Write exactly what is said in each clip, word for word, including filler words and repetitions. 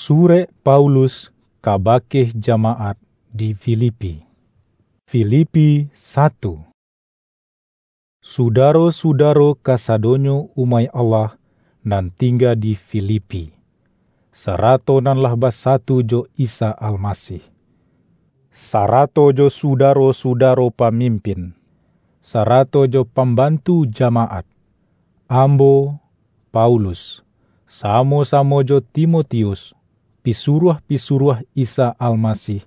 Surek Paulus kabake jamaat di Filipi. Filipi satu. Sudaro-sudaro kasadonyo umaik Allah nan tingga di Filipi, sarato nan lah basatu jo Isa Almasih, sarato jo sudaro-sudaro pamimpin, sarato jo pambantu jamaat. Ambo, Paulus, samo-samo jo Timotius, pisuruah-pisuruah Isa Almasih,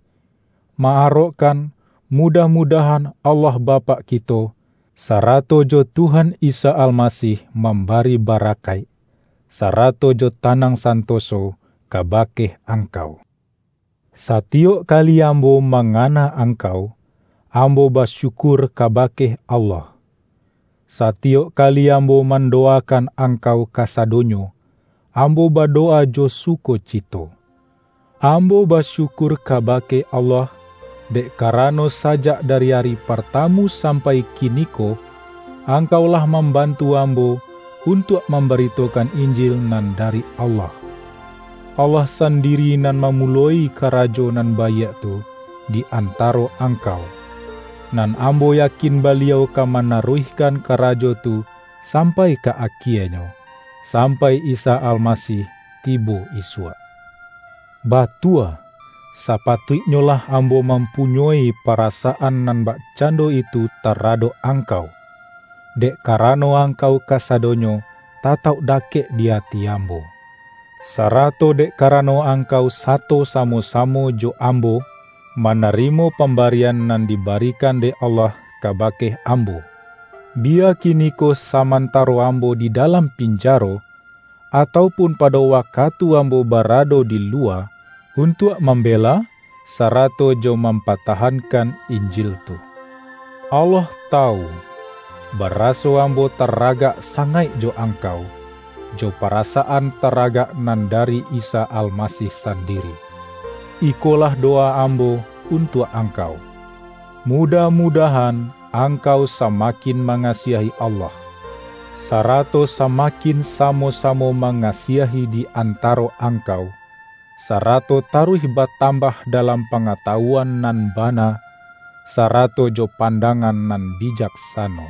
ma-arokkan, mudah-mudahan Allah Bapak kito, sarato jo Tuhan Isa Almasih mambari barakaik, sarato jo tanang santoso kabake angkau. Satiyok kali ambo mangana angkau, ambo basyukur kabake Allah. Satiyok kali ambo mandowakan angkau kasadonyo, ambo badowa jo sukocito. Ambo basyukur kabake Allah, dek karano sajak dari ari partamu sampai kiniko, angkau lah mambantu ambo untuak mambaritokan Injil nan dari Allah. Allah sandiri nan mamuloi karajo nan baiak tu di antaro angkau, nan ambo yakin Baliau ka manaruihkan karajo tu sampai ka akienyo, sampai Isa Almasih tibo isuak. Batua, sapatuiknyolah ambo mampunyoi parasaan nan bakcando itu taradok angkau, dek karano angkau kasadonyo tatauk dakek di ati ambo, sarato dek karano angkau sato samo-samo jo ambo manarimo pambarian nan dibarikan dek Allah kabake ambo. Biya kiniko samantaro ambo di dalam pinjaro, atau pun pado wakatu ambo barado di luwa, untuak mambela, sarato jo mampatahankan Injil tu. Allah tawu, baraso ambo taragak sangaik jo angkau, jo parasaan taragak nan dari Isa Almasih sandiri. Ikolah dowa ambo untuak angkau. Mudah-mudahan angkau samakin mangasiahi Allah, sarato samakin samo-samo mangasiahi di antaro angkau, sarato taruih batambah dalam pangatawuan nan bana, sarato jo pandangan nan bijaksano.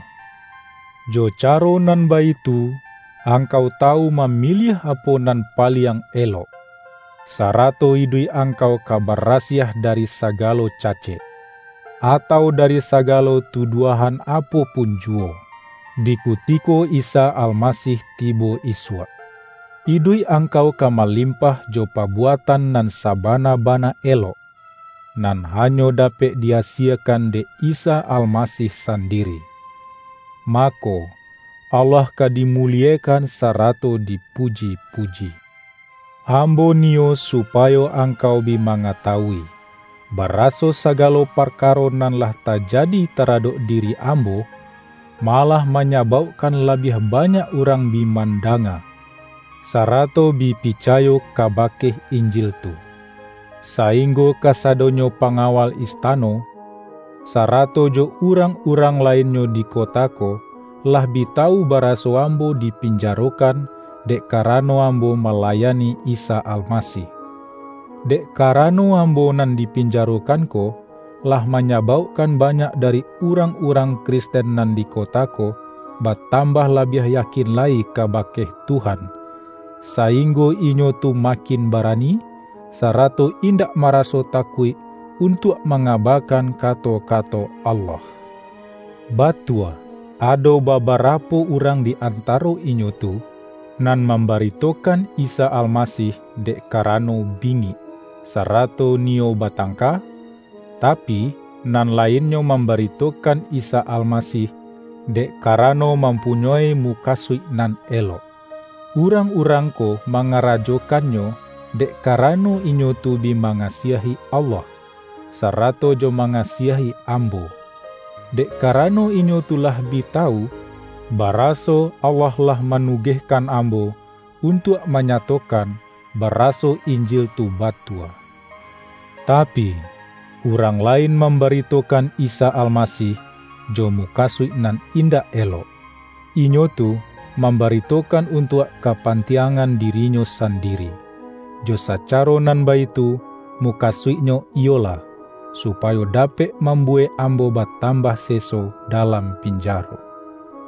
Jo caro nan baitu, angkau tawu mamiliah apo nan paliang elok, sarato iduik angkau ka barasiah dari sagalo cacek, atau dari sagalo tuduahan apo pun juwo, di kutiko Isa Almasih tibo isuak. Iduik angkau ka malimpah jo pabuatan nan sabana-bana elok, nan hanyo dapek di-asiekan dek Isa Almasih sandiri. Mako, Allah ka dimuliekan sarato dipuji-puji. Ambo niyo supayo angkau bi mangatawui, baraso sagalo parkaro nan lah tajadi taradok diri ambo, malah manyabaukkan labiah banyak urang bi mandanga, sarato bi picayo kabake Injil tu. Sainggo kasadonyo pangawal istano, sarato jo urang-urang lainnyo di kota ko, lah bi tawu baraso ambo dipinjarokan dek karano ambo malayani Isa Almasih. Dek karano ambo nan dipinjarokan ko, lah manyabaukkan banyak dari urang-urang Kristen nan di kota ko batambah labiah yakin lai kabake Tuhan, sainggo inyo tu makin barani, sarato indak maraso takuik untuak mangabakan kato-kato Allah. Batua, ado babarapo urang di antaro inyo tu, nan mambaritokan Isa Almasih dek karano bingik, sarato niyo batangka, tapi, nan lainnyo mambaritokan Isa Almasih, dek karano mampunyoi mukasuik nan elok. Urang-urang ko mangarajokannyo, dek karano inyo tu bi mangasiahi Allah, sarato jo mangasiahi ambo. Dek karano inyo tu lah bi tawu, baraso Allah lah manugehkan ambo untuak manyatokan baraso Injil tu batua. Tapi, urang lain mambaritokan Isa Almasih jo mukasuik nan indak elok. Inyo tu mambaritokan untuak kapantiangan dirinyo sandiri. Jo sacaro nan baitu, mukasuiknyo iyolah, supayo dapek mambuwek ambo batambah seso dalam pinjaro.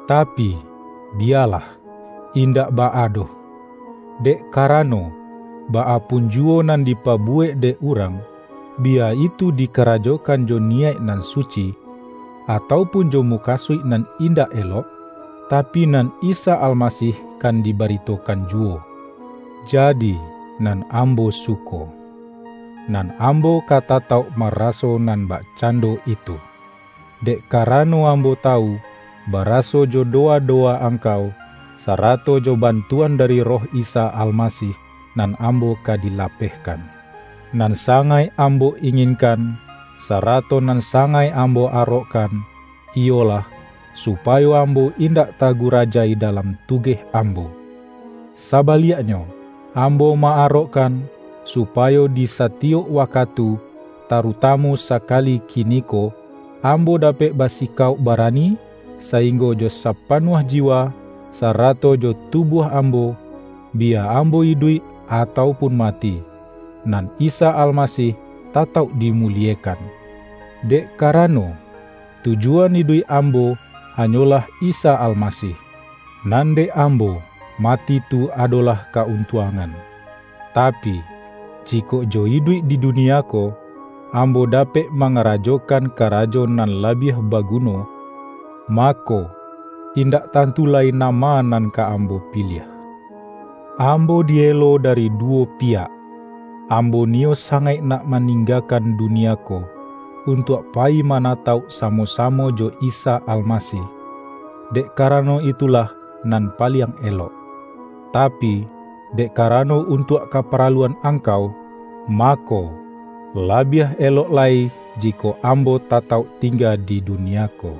Tapi, biyalah, indak baa doh. Dek karano, baa pun juwo nan dipabuwek dek urang, biya itu dikarajokan jo niyaik nan suci, atau pun jo mukasuik nan indak elok, tapi nan Isa Almasih kan dibaritokan juwo. Jadi, nan ambo suko, nan ambo ka tatauk maraso nan bakcando itu. Dek karano ambo tawu, baraso jo dowa-dowa angkau, sarato jo bantuan dari Roh Isa Almasih, nan ambo ka dilapehkan. Nan sangaik ambo inginkan, sarato nan sangaik ambo arokkan, iyolah, supayo ambo indak tagurajai dalam tugeh ambo. Sabaliaknyo, ambo ma-arokkan, supayo di satiyok wakatu, tarutamu sakali kiniko, ambo dapek basikauk barani, sainggo jo sapanuah jiwa, sarato jo tubuah ambo, biya ambo iduik atau pun mati, nan Isa Almasih tatauk dimuliekan. Dek karano, tujuan iduik ambo hanyolah Isa Almasih, nan dek ambo, mati tu adolah kauntuangan. Tapi, jikok jo iduik di dunia ko, ambo dapek mangarajokan karajo nan labiah baguno, mako, indak tantu lai nama nan ka ambo piliah. Ambo dielo dari duwo piyak. Ambo niyo sangaik nak maninggakan dunia ko, untuak payi manatauk samo-samo jo Isa Almasih. Dek karano itulah nan paliang elok. Tapi, dek karano untuak kaparaluan angkau, mako, labiah elok lai jikok ambo tatauk tingga di dunia ko.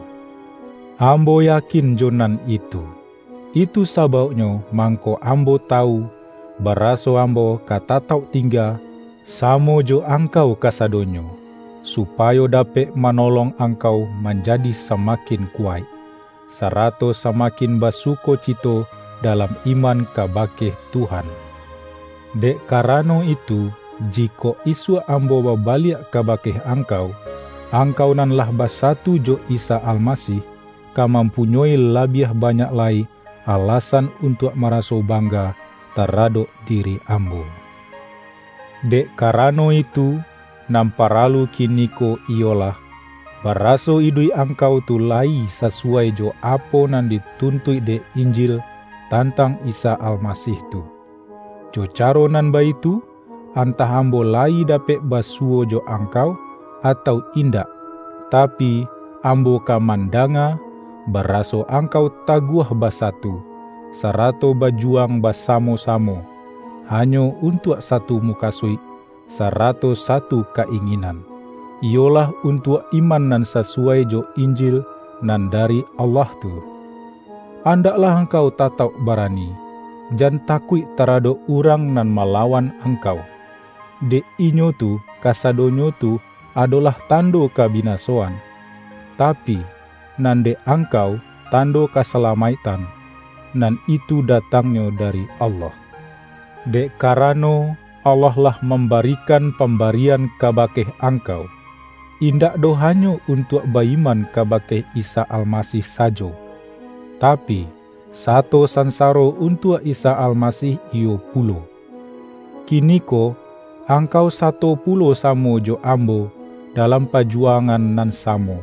Ambo yakin jo nan itu. Itu sabauknyo mangko ambo tawu, baraso ambo ka tatauk tingga samo jo angkau kasadonyo, supayo dapek manolong angkau manjadi samakin kuwaik, sarato samakin basukocito dalam iman kabake Tuhan. Dek karano itu, jikok isuak ambo babaliak kabake angkau, angkau nan lah basatu jo Isa Almasih, ka mampunyoi labiah banyak lai alasan untuak maraso bangga taradok diri ambo. Dek karano itu, nan paralu kiniko iyolah, baraso iduik angkau tu layi sasuwai jo apo nan dituntuik dek Injil tantang Isa Almasih tu. Jo caro nan baitu, antah ambo layi dapek basuwo jo angkau, atau indak, tapi, ambo ka mandanga, baraso angkau taguah basatu, sarato bajuwang basamo-samo, hanyo untuak satu mukasuik, sarato satu ka-inginan, iyolah untuak iman nan sasuwai jo Injil nan dari Allah tu. Andaklah angkau tatauk barani, jan takuik taradok urang nan malawan angkau. Dek inyo tu, kasadonyo tu adolah tando kabinasoan, tapi, nan dek angkau, tando kasalamaiktan, nan itu datangnyo dari Allah. Dek karano, Allah lah mambarikan pambarian kabake angkau, indak doh hanyo untuak ba-iman kabake Isa Almasih sajo, tapi, sato sansaro untuak Isa Almasih iyo pulo. Kiniko, angkau sato pulo samo jo ambo dalam pajuwangan nan samo,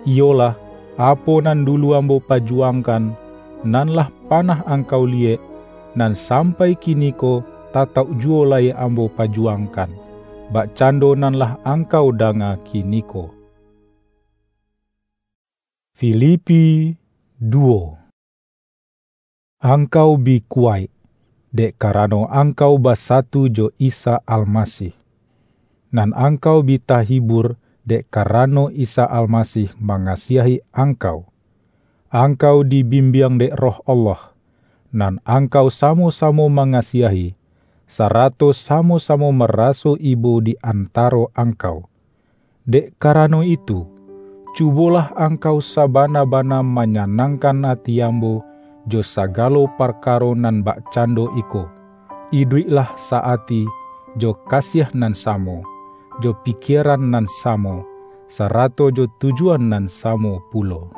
iyolah, apo nan dulu ambo pajuwangkan, nan lah panah angkau liyek, nan sampai kiniko tatauk juwo lai ambo pajuwangkan, bakcando nan lah angkau danga kiniko. Filipi duwo. Angkau bi kuwaik, dek karano angkau basatu jo Isa Almasih. Nan angkau bi tahibur, dek karano Isa Almasih mangasiahi angkau. Angkau dibimbiang dek Roh Allah, nan angkau samo-samo mangasiahi, sarato samo-samo maraso ibo di antaro angkau. Dek karano itu, cubolah angkau sabana-bana manyanangkan ati ambo jo sagalo parkaro nan bakcando iko, iduiklah sa-ati, jo kasiah nan samo, jo pikieran nan samo, sarato jo tujuan nan samo pulo.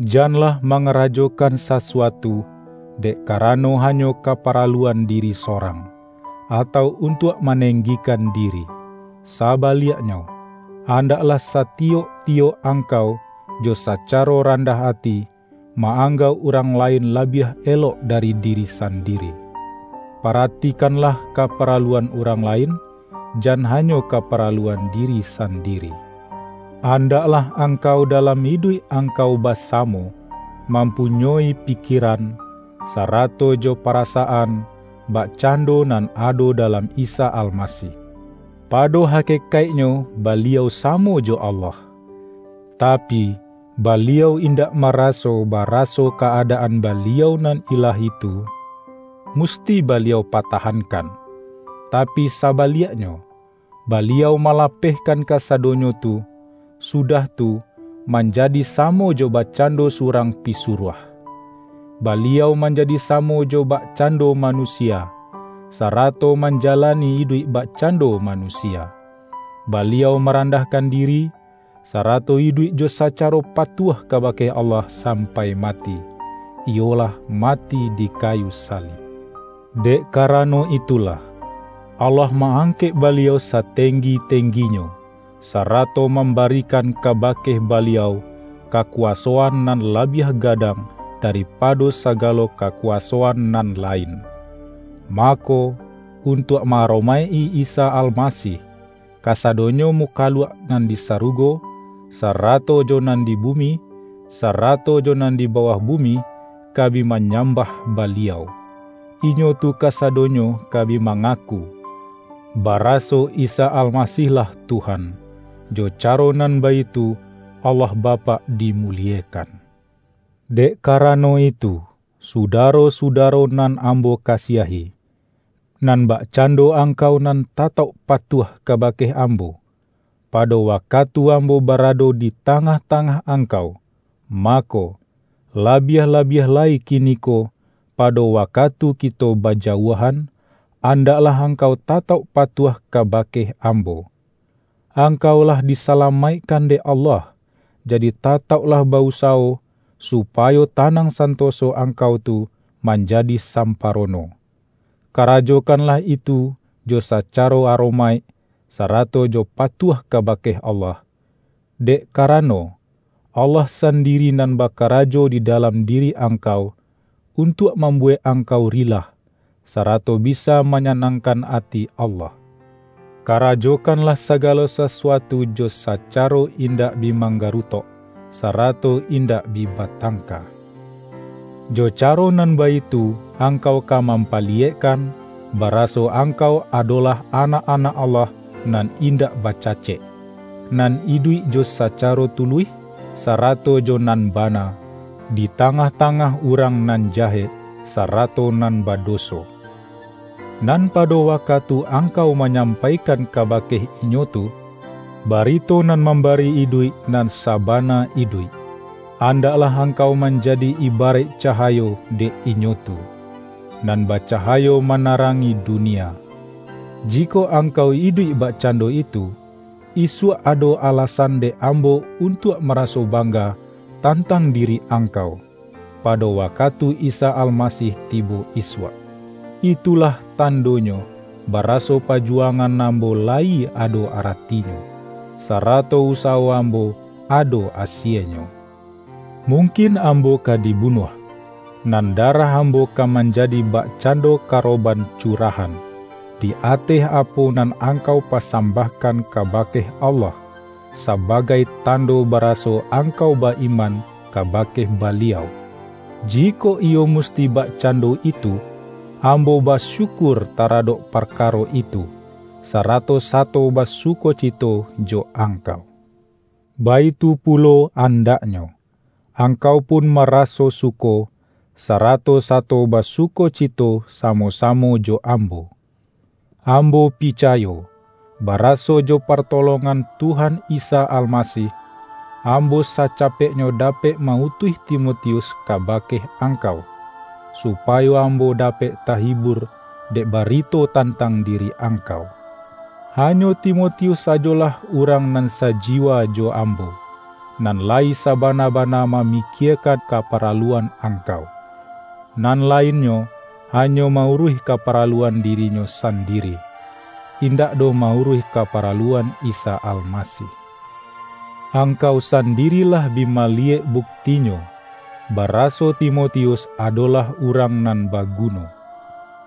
Janlah mangarajokan sasuatu dek karano hanyo kaparaluan diri sorang, atau untuak manenggikan diri. Sabaliaknyo, andaklah satiyok-tiyok angkau jo sacaro randah ati, ma-anggauk urang lain labiah elok dari diri sandiri. Paratikanlah kaparaluan urang lain, jan hanyo kaparaluan diri sandiri. Andaklah angkau dalam iduik angkau basamo, mampunyoi pikiran, sarato jo parasaan, bakcando nan ado dalam Isa Almasih. Pado hakekaiknyo, Baliau samo jo Allah. Tapi, Baliau indak maraso baraso ka-adaan Baliau nan ilahi tu, musti Baliau patahankan. Tapi sabaliaknyo, Baliau malapehkan kasadonyo tu, sudah tu, manjadi samo jo bakcando surang pisuruah. Baliau manjadi samo jo bakcando manusia, sarato manjalani iduik bakcando manusia. Baliau marandahkan diri, sarato iduik jo sacaro patuah kabake Allah sampai mati, iyolah mati di kayu salib. Dek karano itulah, Allah ma-angkek Baliau satenggi-tengginyo, sarato mambarikan kabake Baliau kakuwasoan nan labiah gadang daripado sagalo kakuwasoan nan lain. Mako, untuak ma-aromaik-i Isa Almasih, kasadonyo mukaluak nan di sarugo, sarato jo nan di bumi, sarato jo nan di bawah bumi, ka bi manyambah Baliau. Inyo tu kasadonyo ka bi mangaku, baraso Isa Almasih-lah Tuhan. Jo caro nan baitu, Allah Bapak dimuliekan. Dek karano itu, sudaro-sudaro nan ambo kasiahi, nan bakcando angkau nan tatauk patuah kabake ambo, pado wakatu ambo barado di tangah-tangah angkau, mako, labiah-labiah lai kiniko, pado wakatu kito bajauahan, andaklah angkau tatauk patuah kabake ambo. Angkau lah disalamaikkan dek Allah, jadi tatauklah ba-usawo, supayo tanang santoso angkau tu manjadi samparono. Karajokanlah itu jo sacaro aromaik, sarato jo patuah kabake Allah. Dek karano, Allah sandiri nan bakarajo di dalam diri angkau, untuak mambuwek angkau rilah, sarato bisa manyanangkan ati Allah. Karajokanlah sagalo sasuatu jo sacaro indak bi manggarutok, sarato indak bi batangka. Jo caro nan baitu, angkau ka mampaliyekkan, baraso angkau adolah anak-anak Allah nan indak bacacek, nan iduik jo sacaro tuluih, sarato jo nan bana, di tangah-tangah urang nan jahek, sarato nan badoso. Nan pado wakatu angkau manyampaikan kabake inyo tu, barito nan mambari iduik nan sabana iduik, andaklah angkau manjadi ibaraik cahayo dek inyo tu, nan bacahayo manarangi dunia. Jikok angkau iduik bakcando itu, isuak ado alasan dek ambo untuak maraso bangga tantang diri angkau, pado wakatu Isa Almasih tibo isuak. Itulah tandonyo, baraso pajuwangan ambo layi ado aratinyo, sarato usawo ambo ado asienyo. Mungkin ambo ka dibunuah, nan darah ambo ka manjadi bakcando karoban curahan, di ateh apo nan angkau pasambahkan kabake Allah, sabagai tando baraso angkau ba-iman kabake Baliau. Jikok iyo musti bakcando itu, ambo basyukur taradok parkaro itu, sarato sato basukocito jo angkau. Baitu pulo andaknyo, angkau pun maraso suko, sarato sato basukocito samo-samo jo ambo. Ambo picayo, baraso jo partolongan Tuhan Isa Almasih, ambo sacapeknyo dapek ma-utuih Timotius kabake angkau, supayo ambo dapek tahibur dek barito tantang diri angkau. Hanyo Timotius sajolah urang nan sajiwa jo ambo, nan layi sabana-bana mamikiekan kaparaluan angkau. Nan lainnyo hanyo mauruih kaparaluan dirinyo sandiri, indak doh mauruih kaparaluan Isa Almasih. Angkau sandiri lah bi maliyek buktinyo, baraso Timotius adolah urang nan baguno.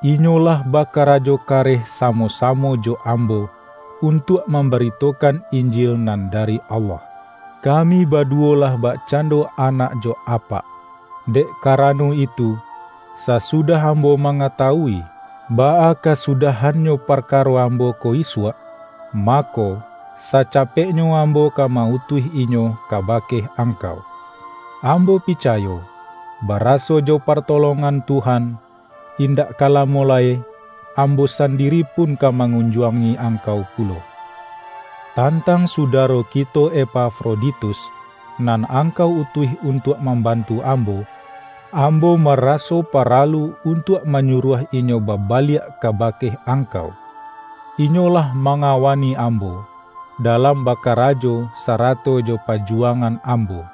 Inyo lah bakarajo kareh samo-samo jo ambo untuak mambaritokan Injil nan dari Allah. Kami baduwo lah bakcando anak jo apak. Dek karano itu, sasudah ambo mangatawui, baa kasudahannyo parkaro ambo ko isuak, mako, sacapeknyo ambo ka ma-utuih inyo kabake angkau. Ambo picayo, baraso jo partolongan Tuhan, indak ka lamo lai, ambo sandiri pun ka mangunjuangi angkau pulo. Tantang sudaro kito Epafroditus, nan angkau utuih untuak mambantu ambo, ambo maraso paralu untuak manyuruah inyo babaliak kabake angkau. Inyo lah mangawani ambo dalam bakarajo sarato jo pajuwangan ambo.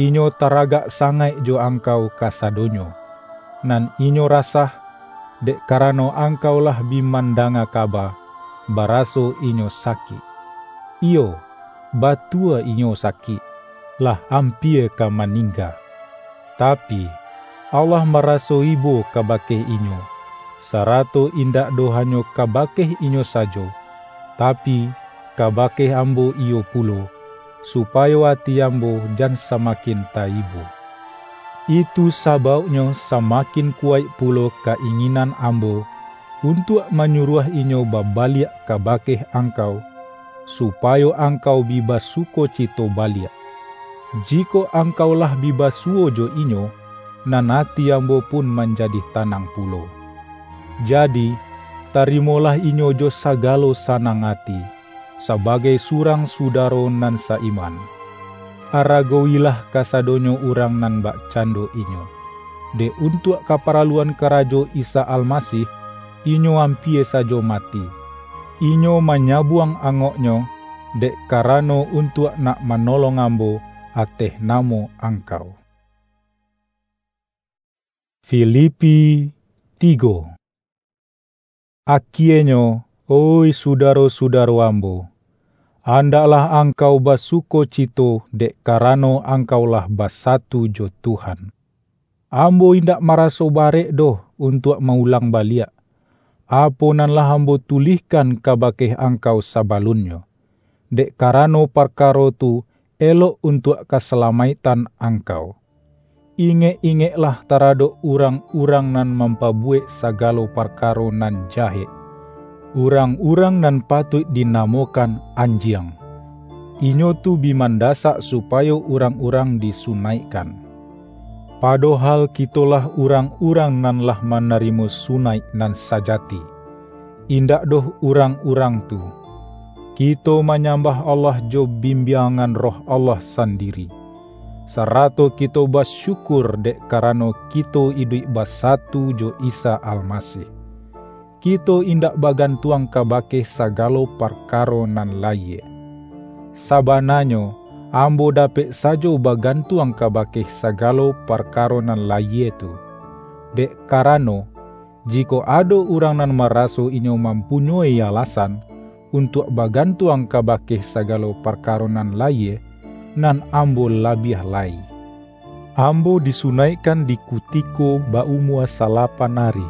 Inyo taragak sangaik jo angkau kasadonyo, nan inyo rasah, dek karano angkau lah bi mandanga kaba, baraso inyo sakik. Iyo, batua inyo sakik, lah ampia ka maningga. Tapi, Allah maraso ibo kabake inyo, sarato indak doh hanyo kabake inyo sajo, tapi, kabake ambo iyo pulo, supayo ati ambo jan samakin taibo. Itu sabauknyo samakin kuwaik pulo ka-inginan ambo untuak manyuruah inyo babaliak kabake angkau, supayo angkau bi basukocito baliak. Jikok angkau lah bi basuwo jo inyo, nan ati ambo pun manjadi tanang pulo. Jadi, tarimolah inyo jo sagalo sanang ati, sabagai surang sudaro nan sa-iman. Aragowilah kasadonyo urang nan bakcando inyo, dek untuak kaparaluan karajo Isa Almasih, inyo ampia sajo mati. Inyo manyabuang angoknyo, dek karano untuak nak manolong ambo ateh namo angkau. Filipi tigo. Akienyo, oih sudaro-sudaro ambo, andaklah angkau basukocito dek karano angkau lah basatu jo Tuhan. Ambo indak maraso barek doh untuak ma-ulang baliak, apo nan lah ambo tulihkan kabake angkau sabalunnyo, dek karano parkaro tu elok untuak kasalamaiktan angkau. Ingek-ingeklah taradok urang-urang nan mampabuwek sagalo parkaro nan jahek, urang-urang nan patuik dinamokan anjiang. Inyo tu bi mandasak supayo urang-urang disunaikkan. Padohal kitolah urang-urang nan lah manarimo sunaik nan sajati, indak doh urang-urang tu. Kito manyambah Allah jo bimbiangan Roh Allah sandiri, sarato kito basyukur dek karano kito iduik basatu jo Isa Almasih. Kito indak bagantuang kabake sagalo parkaro nan layie. Sabananyo, ambo dapek sajo bagantuang kabake sagalo parkaro nan layie tu, dek karano, jikok ado urang nan maraso inyo mampunyoi alasan untuak bagantuang kabake sagalo parkaro nan layie, nan ambo labiah lai. Ambo disunaikkan di kutiko ba-umua salapan ari.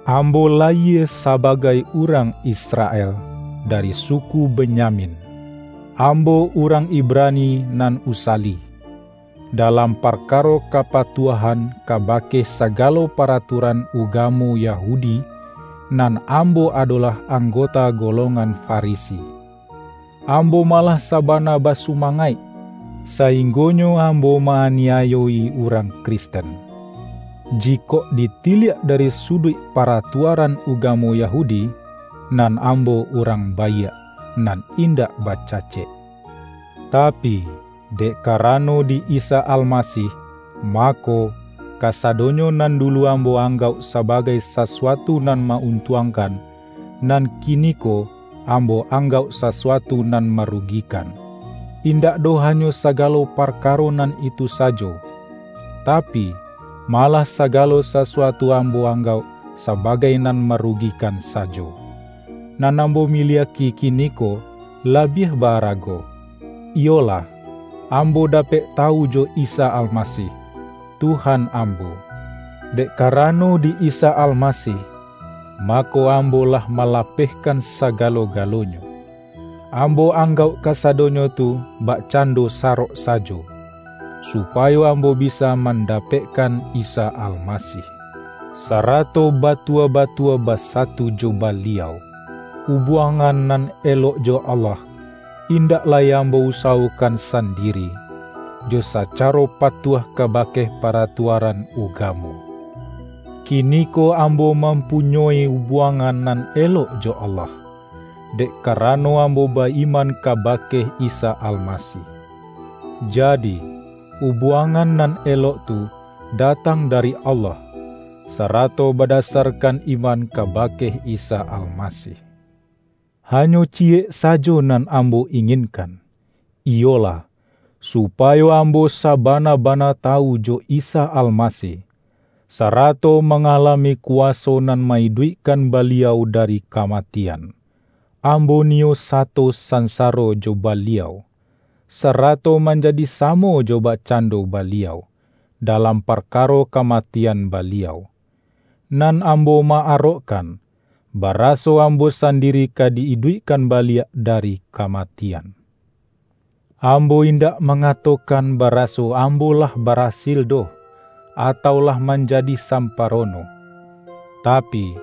Ambo layie sabagai urang Israel, dari suku Benyamin. Ambo urang Ibrani nan usali. Dalam parkaro kapatuahan kabake sagalo paraturan ugamo Yahudi, nan ambo adolah anggota golongan Farisi. Ambo malah sabana basumangaik, sainggonyo ambo ma-aniayo-i urang Kristen. Jikok ditiliak dari suduik paratuaran ugamo Yahudi, nan ambo urang baiak, nan indak bacacek. Tapi, dek karano di Isa Almasih, mako, kasadonyo nan dulu ambo anggauk sabagai sasuatu nan ma-untuangkan, nan kiniko ambo anggauk sasuatu nan marugikan. Indak doh hanyo sagalo parkaro nan itu sajo, tapi, malah sagalo sasuatu ambo anggauk sabagai nan marugikan sajo. Nan ambo miliaki kiniko labiah baarago, iyolah, ambo dapek tawu jo Isa Almasih, Tuhan ambo. Dek karano di Isa Almasih, mako, ambo lah malapehkan sagalo-galonyo. Ambo anggauk kasadonyo tu bakcando sarok sajo, supayo ambo bisa mandapekkan Isa Almasih, sarato batua-batua basatu jo Baliau. Ubuangan nan elok jo Allah, indak lai ambo usawokan sandiri, jo sacaro patuah kabake paratuaran ugamo. Kiniko ambo mampunyoi ubuangan nan elok jo Allah, dek karano ambo ba-iman kabake Isa Almasih. Jadi, ubuangan nan elok tu datang dari Allah, sarato badasarkan iman kabake Isa Almasih. Hanyo ciyek sajo nan ambo inginkan, iyolah, supayo ambo sabana-bana tawu jo Isa Almasih, sarato mangalami kuwaso nan ma-iduikkan Baliau dari kamatian. Ambo niyo sato sansaro jo Baliau, sarato manjadi samo jo bakcando Baliau, dalam parkaro kamatian Baliau. Nan ambo ma-arokkan, baraso ambo sandiri ka di-iduikkan baliak dari kamatian. Ambo indak mangatokan baraso ambo lah barasil doh, atau lah manjadi samparono. Tapi,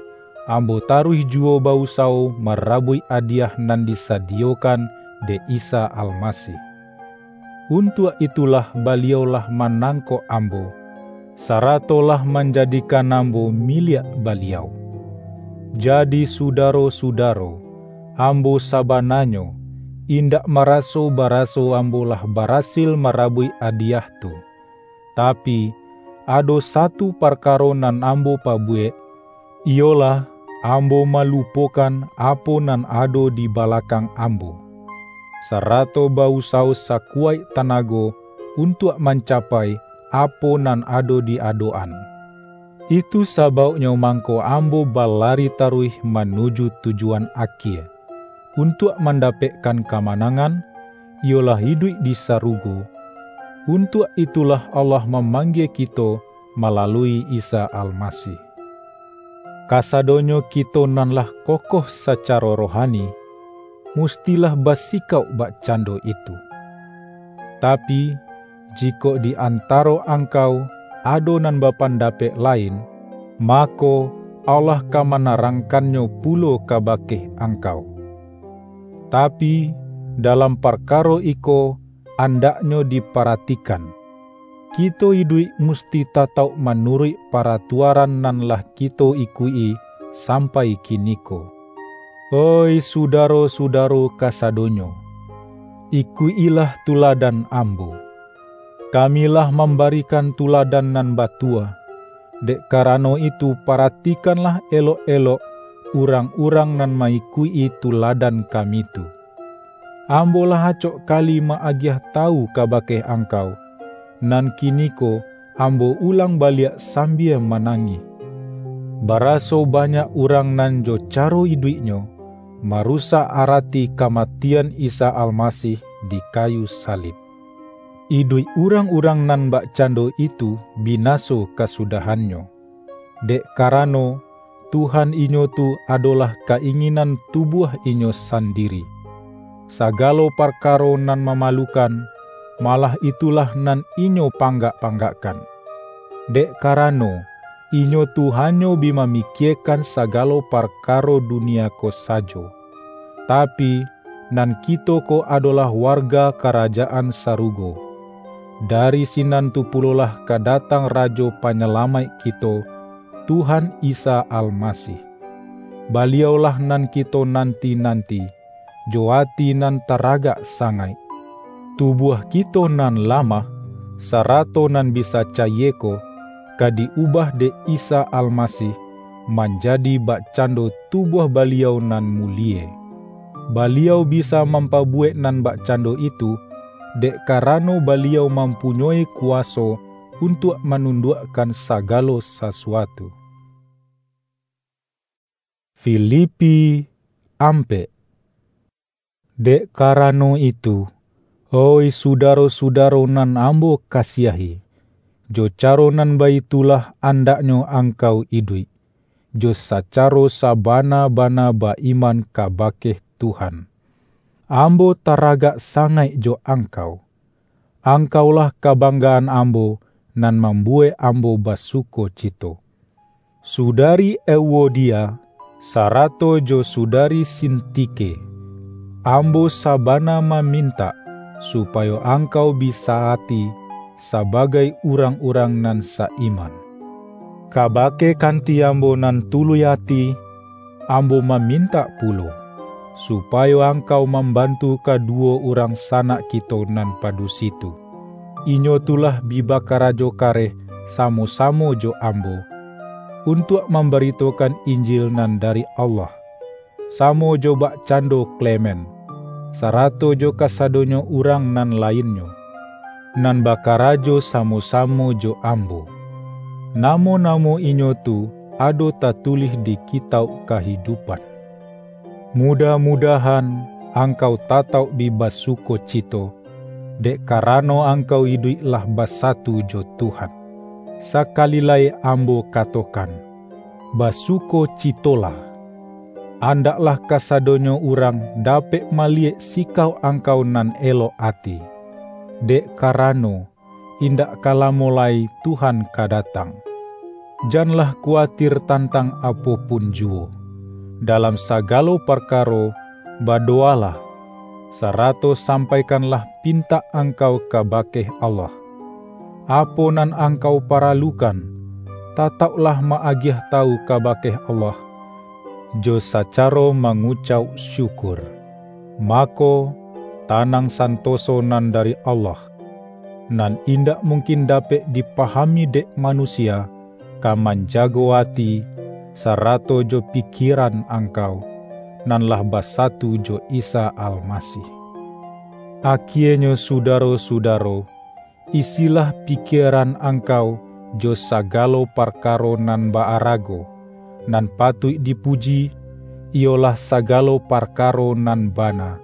ambo taruih juwo ba-usawo marabuik adiyah nan disadiyokan dek Isa Almasih. Untuak itulah Baliau lah manangkok ambo, sarato lah manjadikan ambo miliak Baliau. Jadi, sudaro-sudaro, ambo sabananyo indak maraso baraso ambo lah barasil marabuik adiyah tu. Tapi, ado satu parkaro nan ambo pabuwek, iyolah, ambo malupokan apo nan ado di balakang ambo, sarato ba-usawo sakuwaik tanago untuak mancapai apo nan ado di adok-an. Itu sabauknyo mangko ambo balari taruih manuju tujuan akie, untuak mandapekkan kamanangan, iyolah iduik di sarugo. Untuak itulah Allah mamanggie kito malalui Isa Almasih. Kasadonyo kito nan lah kokoh sacaro rohani, mustilah basikauk bakcando itu. Tapi, jikok di antaro angkau ado nan bapandapek lain, mako, Allah ka manarangkannyo pulo kabake angkau. Tapi, dalam parkaro iko andaknyo diparatikan, kito iduik musti tatauk manuruik paratuaran nan lah kito ikuik-i sampai kiniko. Oih sudaro-sudaro kasadonyo, ikuik-ilah tuladan ambo. Kami lah mambarikan tuladan nan batua, dek karano itu paratikanlah elok-elok urang-urang nan ma-ikuik-i tuladan kami tu. Ambo lah acok kali ma-agiah tawu kabake angkau, nan kiniko ambo ulang baliak sambia manangih. Baraso banyak urang nan jo caro iduiknyo marusak arati kamatian Isa Almasih di kayu salib. Iduik urang-urang nan bakcando itu binaso kasudahannyo, dek karano, Tuhan inyo tu adolah ka-inginan tubuah inyo sandiri. Sagalo parkaro nan mamalukan, malah itulah nan inyo panggak-panggakkan. Dek karano, inyo tu hanyo bi mamikiekan sagalo parkaro dunia ko sajo. Tapi, nan kito ko adolah warga Karajaan Sarugo. Dari sinan tu pulolah ka datang Rajo Panyalamaik kito, Tuhan Isa Almasih. Baliaulah nan kito nanti-nanti, jo ati nan taragak sangaik. Tubuah kito nan lamah, sarato nan bisa cayie ko, ka di-ubah dek Isa Almasih manjadi bakcando tubuah Baliau nan mulie. Baliau bisa mampabuwek nan bakcando itu, dek karano Baliau mampunyoi kuwaso untuak manunduakkan sagalo sasuatu. Filipi ampek. Dek karano itu, oih sudaro-sudaro nan ambo kasiahi, jo caro nan baitulah andaknyo angkau iduik, jo sacaro sabana-bana ba-iman kabake Tuhan. Ambo taragak sangaik jo angkau. Angkaulah kabanggaan ambo, nan mambuwek ambo basukocito. Sudari Euodia, sarato jo Sudari Sintike, ambo sabana mamintak, supayo angkau bisa ati sabagai urang-urang nan sa-iman. Kabake kanti ambo nan tuluih ati, ambo mamintak pulo, supayo angkau mambantu kaduwo urang sanak kito nan padusi tu. Inyo tu lah bi bakarajo kareh samo-samo jo ambo, untuak mambaritokan Injil nan dari Allah, samo jo bakcando Klemen, sarato jo kasadonyo urang nan lainnyo, nan bakarajo samo-samo jo ambo. Namo-namo inyo tu ado tatulih di Kitauk Kahidupan. Mudah-mudahan angkau tatauk bi basukocito, dek karano angkau iduik lah basatu jo Tuhan. Sakali lai ambo katokan, basukocitolah! Andaklah kasadonyo urang dapek maliyek sikau angkau nan elok ati, dek karano, indak ka lamo lai Tuhan ka datang. Janlah kuwatir tantang apo pun juwo. Dalam sagalo parkaro, badowalah, sarato sampaikanlah pintak angkau kabake Allah. Apo nan angkau paralukan, tatauklah ma-agiah tawu kabake Allah, jo sacaro mangucauk syukur. Mako, tanang santoso nan dari Allah, nan indak mungkin dapek dipahami dek manusia, ka manjago ati, sarato jo pikieran angkau, nan lah basatu jo Isa Almasih. Akienyo, sudaro-sudaro, isilah pikieran angkau jo sagalo parkaro nan ba-arago, nan patuik dipuji, iyolah sagalo parkaro nan bana,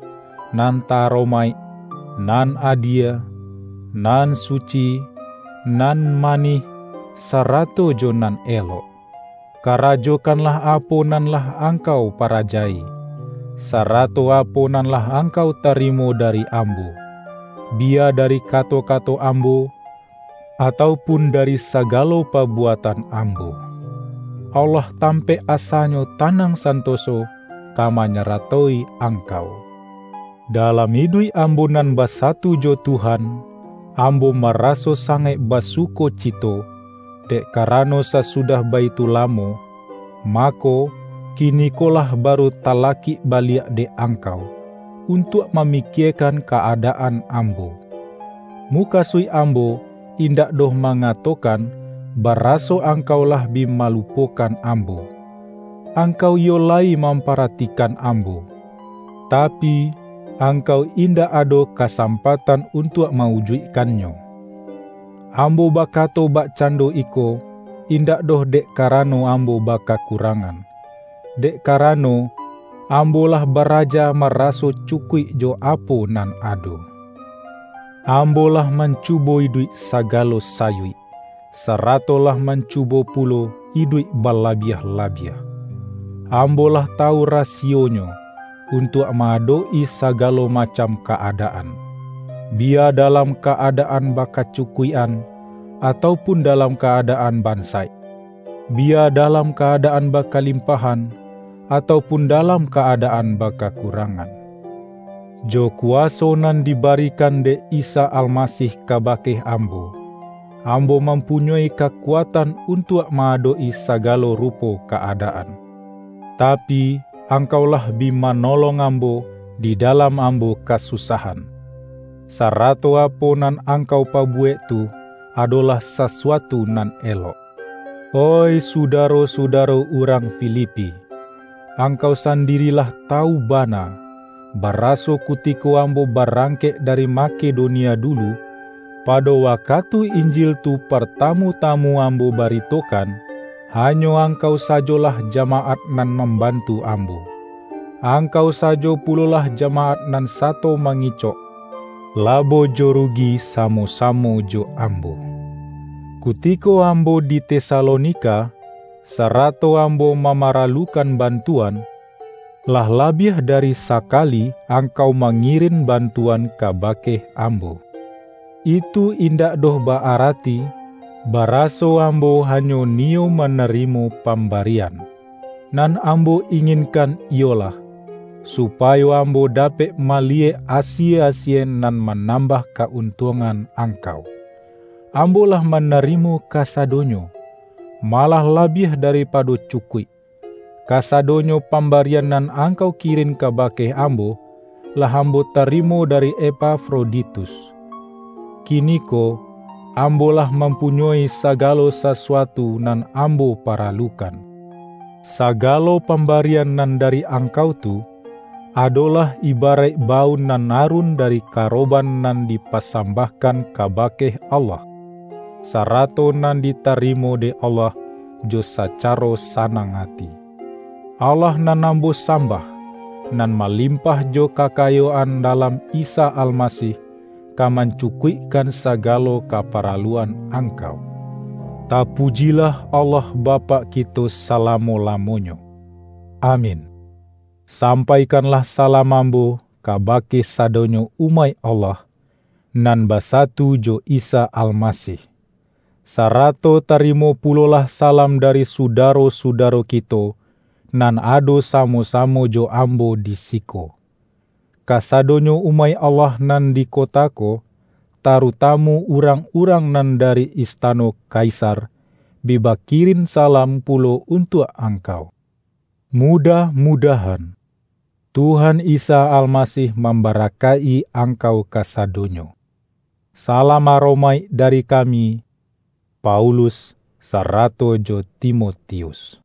nan ta-aromaik, nan adie, nan suci, nan manih, sarato jo nan elok. Karajokanlah apo nan lah angkau parajai, sarato apo nan lah angkau tarimo dari ambo, biya dari kato-kato ambo, atau pun dari sagalo pabuatan ambo. Allah tampek asanyo tanang santoso ka manyaratoi angkau. Dalam iduik ambo nan basatu jo Tuhan, ambo maraso sangaik basukocito, dek karano sasudah baitu lamo, mako, kinikolah baru talakik baliak dek angkau, untuak mamikiekan ka-adaan ambo. Mukasuik ambo indak doh mangatokan, baraso angkau lah bi malupokan ambo. Angkau iyo lai mamparatikan ambo, tapi, angkau indak ado kasampatan untuak mawujuikkannyo. Ambo bakato bakcando iko, indak doh dek karano ambo bakakurangan, dek karano, ambo lah baraja maraso cukuik jo apo nan ado. Ambo lah mancubo iduik sagalo sayuik, sarato lah mancubo pulo iduik balabiah-labiah. Ambo lah tawu rasionyo, untuak ma-adok-i sagalo macam ka-adaan, biya dalam ka-adaan bakacukuik-an, atau pun dalam ka-adaan bansaik, biya dalam ka-adaan bakalimpahan, atau pun dalam ka-adaan bakakurangan. Jo kuwaso nan dibarikan dek Isa Almasih kabake ambo, ambo mampunyoi kakuatan untuak ma-adok-i sagalo rupo ka-adaan. Tapi, angkau lah bi manolong ambo di dalam ambo kasusahan, sarato apo nan angkau pabuwek tu adolah sasuatu nan elok. Oih sudaro-sudaro urang Filipi, angkau sandiri lah tawu bana, baraso kutiko ambo barangkek dari Makedonia dulu, pado wakatu Injil tu partamu-tamu ambo baritokan, hanyo angkau sajolah jamaat nan mambantu ambo. Angkau sajo pulolah jamaat nan sato mangicok, labo jo rugi samo-samo jo ambo. Kutiko ambo di Tesalonika, sarato ambo mamaralukan bantuan, lah labiah dari sakali angkau mangirin bantuan kabake ambo. Itu indak doh ba-arati, baraso ambo hanyo niyo manarimo pambarian. Nan ambo inginkan iyolah, supayo ambo dapek maliyek asie-asie nan manambah ka-untuangan angkau. Ambo lah manarimo kasadonyo, malah labiah daripado cukuik. Kasadonyo pambarian nan angkau kirin kabake ambo, lah ambo tarimo dari Epafroditus. Kiniko, ambo lah mampunyoi sagalo sasuatu nan ambo paralukan. Sagalo pambarian nan dari angkau tu, adolah ibaraik bau nan arun dari karoban nan dipasambahkan kabake Allah, sarato nan ditarimo dek Allah jo sacaro sanang ati. Allah nan ambo sambah, nan malimpah jo kakayoan dalam Isa Almasih, ka mancukuikkan sagalo kaparaluan angkau. Tapujilah Allah Bapak kito salamo-lamonyo. Amin. Sampaikanlah salam ambo kabake sadonyo umaik Allah, nan basatu jo Isa Almasih. Sarato tarimo pulolah salam dari sudaro-sudaro kito, nan ado samo-samo jo ambo di siko. Kasadonyo umaik Allah nan di kota ko, tarutamu urang-urang nan dari istano Kaisar, bi bakirin salam pulo untuak angkau. Mudah-mudahan, Tuhan Isa Almasih mambarakaik-i angkau kasadonyo. Salam aromaik dari kami, Paulus, sarato jo Timotius.